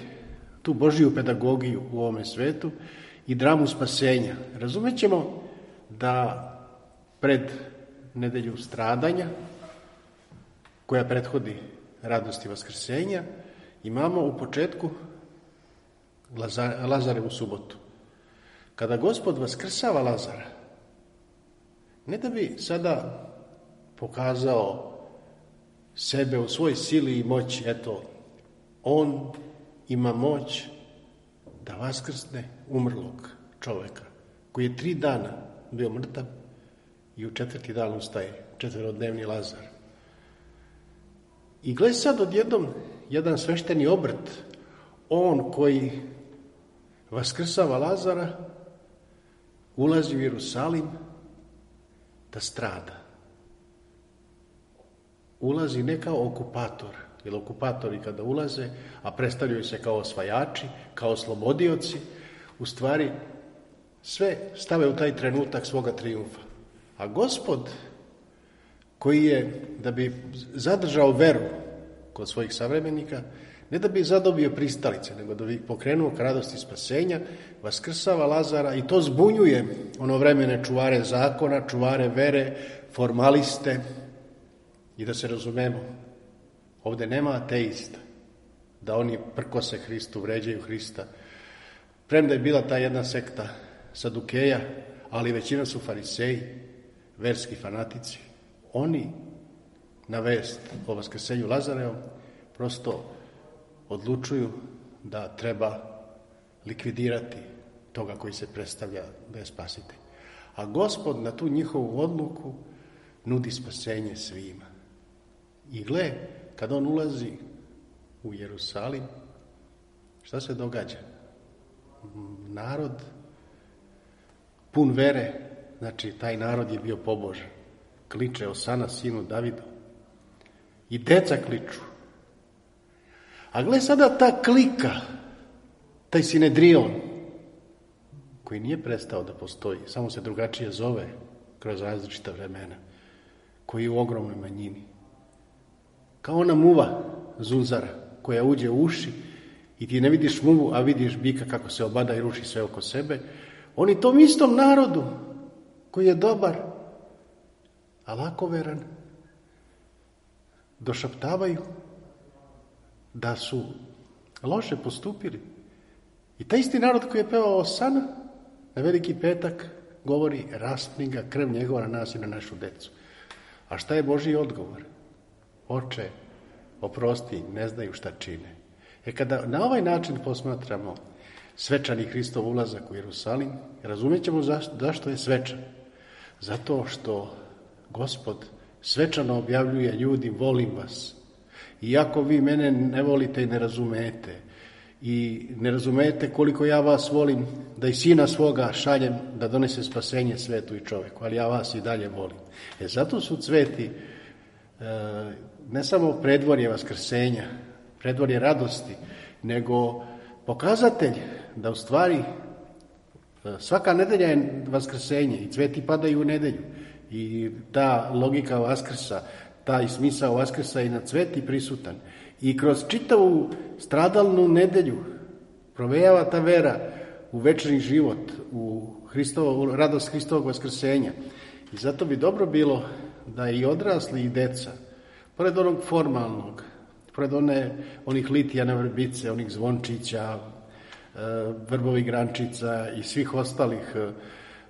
tu Božiju pedagogiju u ovome svetu i dramu spasenja. Razumet ćemo da pred nedelju stradanja, koja prethodi radosti vaskrsenja, imamo u početku Lazarevu subotu. Kada Gospod vaskrsava Lazara, ne da bi sada pokazao sebe u svojoj sili i moći, eto, on ima moć da vaskrsne umrlog čoveka, koji je tri dana bio mrtav i u četvrti dan ustaje, četverodnevni Lazar. I gle sad odjednom jedan svešteni obrt, on koji vaskrsava Lazara, ulazi u Jerusalim da strada. Ulazi ne kao okupator, jer okupatori kada ulaze, a predstavljaju se kao osvajači, kao slobodioci, u stvari sve stave u taj trenutak svoga trijumfa. A Gospod, koji je, da bi zadržao veru kod svojih savremenika, ne da bi zadobio pristalice, nego da bi pokrenuo k radosti spasenja, vaskrsava Lazara i to zbunjuje ono vremene čuvare zakona, čuvare vere, formaliste. I da se razumemo, ovdje nema ateista, da oni prkose Hristu, vređaju Hrista. Premda je bila ta jedna sekta Sadukeja, ali većina su fariseji, verski fanatici. Oni na vest o vaskrsenju Lazarevom prosto odlučuju da treba likvidirati toga koji se predstavlja da je spasitelj. A Gospod na tu njihovu odluku nudi spasenje svima. I gle, kad on ulazi u Jerusalim, šta se događa? Narod pun vere, znači taj narod je bio pobožan. Kliče Osana sinu Davidu. I deca kliču. A gle sada ta klika, taj Sinedrion, koji nije prestao da postoji, samo se drugačije zove kroz različita vremena, koji je u ogromnoj manjini. Kao ona muva zunzara koja uđe u uši i ti ne vidiš muvu, a vidiš bika kako se obada i ruši sve oko sebe. Oni tom istom narodu koji je dobar, a lakoveran, došaptavaju da su loše postupili. I taj isti narod koji je pevao Osana, na Veliki petak govori raspni ga krv njegova na nas i na našu decu. A šta je Božji odgovor? Oče, oprosti, ne znaju šta čine. E kada na ovaj način posmatramo svečani Hristov ulazak u Jerusalim, razumjet ćemo zašto, zašto je svečan. Zato što Gospod svečano objavljuje ljudi, volim vas. Iako vi mene ne volite i ne razumete, i ne razumete koliko ja vas volim, da i sina svoga šaljem da donese spasenje svetu i čoveku, ali ja vas i dalje volim. E zato su cveti ne samo predvorje vaskrsenja, predvorje radosti, nego pokazatelj da u stvari svaka nedelja je vaskrsenje i cveti padaju u nedelju. I ta logika Vaskrsa, taj smisao Vaskrsa je na cveti prisutan. I kroz čitavu stradalnu nedelju provejava ta vera u večni život, u, Hristovo, u radost Hristovog vaskrsenja. I zato bi dobro bilo da i odrasli i deca, pored onog formalnog, pored one, onih litija na vrbice, onih zvončića, vrbovih grančica i svih ostalih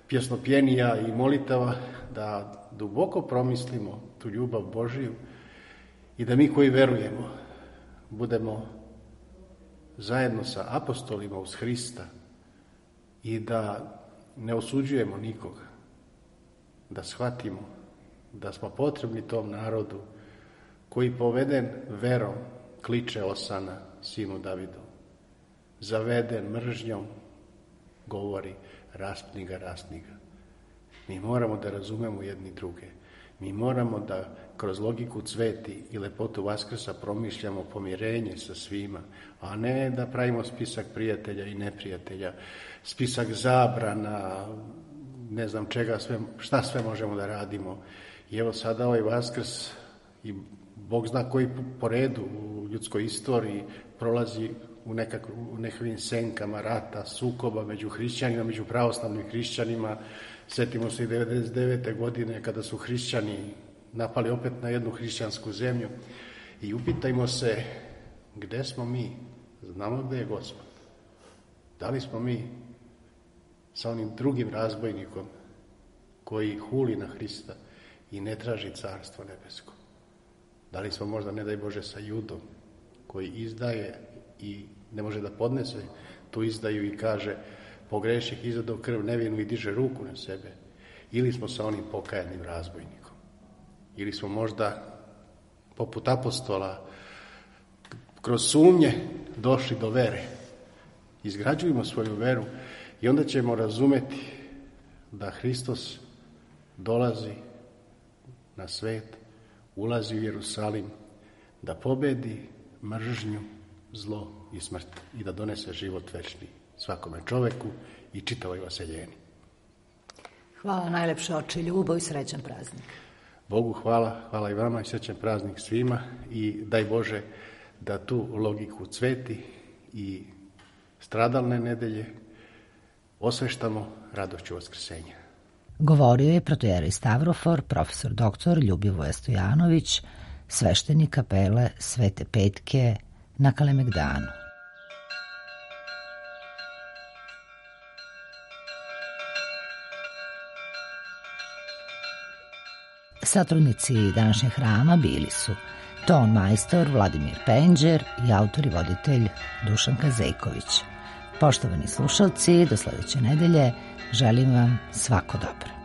pjesnopjenija i molitava, da duboko promislimo tu ljubav Božiju i da mi koji verujemo budemo zajedno sa apostolima uz Hrista i da ne osuđujemo nikoga, da shvatimo da smo potrebni tom narodu koji poveden verom kliče Osana sinu Davidov, zaveden mržnjom govori raspni ga, raspni ga. Mi moramo da razumemo jedni druge. Mi moramo da kroz logiku cveti i lepotu Vaskrsa promišljamo pomirenje sa svima, a ne da pravimo spisak prijatelja i neprijatelja, spisak zabrana, ne znam čega sve, šta sve možemo da radimo. I evo sada ovaj Vaskrs i Bog zna koji po redu u ljudskoj istoriji prolazi u, nekak, u nekakvim senkama rata, sukoba među hrišćanima, među pravoslavnim hrišćanima. Sjetimo se i devedeset devete godine kada su hrišćani napali opet na jednu hrišćansku zemlju i upitajmo se gde smo mi, znamo gde je Gospod. Da li smo mi sa onim drugim razbojnikom koji huli na Hrista i ne traži carstvo nebesko? Da li smo možda, ne daj Bože, sa Judom koji izdaje i ne može da podnese tu izdaju i kaže pogreših izadao krv nevinu i diže ruku na sebe? Ili smo sa onim pokajanim razbojnikom? Ili smo možda poput apostola kroz sumnje došli do vere? Izgrađujemo svoju veru i onda ćemo razumeti da Hristos dolazi na svet, ulazi u Jerusalim, da pobedi mržnju, zlo i smrt i da donese život večni svakome čoveku i čitavoj vaseljeni. Hvala najlepše, oče, ljubav i srećan praznik. Bogu hvala, hvala i vama i srećan praznik svima i daj Bože da tu logiku cveti i stradalne nedelje osveštamo radošću vaskrsenja. Govorio je protojerej Stavrofor, profesor doktor Ljubivoje Stojanović, sveštenik kapele Svete Petke na Kalemegdanu. Satrudnici današnjeg hrama bili su ton majstor Vladimir Penđer i autor i voditelj Dušan Kazejković. Poštovani slušalci, do sledeće nedelje želim vam svako dobro.